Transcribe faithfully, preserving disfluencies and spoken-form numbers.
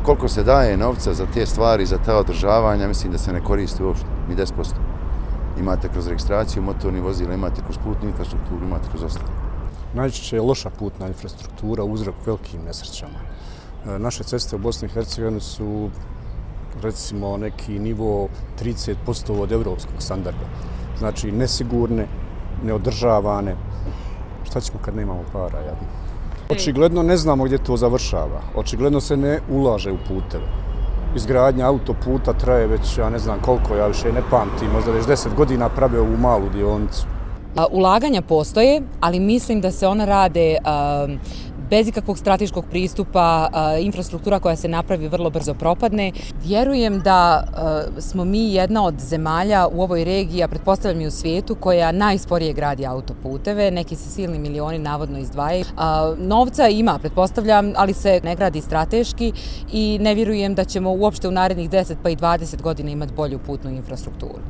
koliko se daje novca za te stvari, za ta održavanja, mislim da se ne koristi uopšte, ni deset posto. Imate kroz registraciju motornih vozila, imate kroz putnu infrastrukturu, imate kroz ostalo. Najčešće je loša putna infrastruktura uzrok velikim nesrećama. Naše ceste u Bosni i Hercegovini su recimo neki nivo trideset posto od evropskog standarda. Znači nesigurne, neodržavane. Šta ćemo kad nemamo para, jadno? Očigledno ne znamo gdje to završava. Očigledno se ne ulaže u puteve. Izgradnja autoputa traje već, ja ne znam koliko, ja više ne pamtim, možda već deset godina prave ovu malu dionicu. Ulaganja postoje, ali mislim da se ona rade bez ikakvog strateškog pristupa, infrastruktura koja se napravi vrlo brzo propadne. Vjerujem da smo mi jedna od zemalja u ovoj regiji, a pretpostavljam i u svijetu, koja najsporije gradi autoputeve. Neki se silni milioni navodno izdvajaju. Novca ima, pretpostavljam, ali se ne gradi strateški i ne vjerujem da ćemo uopšte u narednih deset pa i dvadeset godina imati bolju putnu infrastrukturu.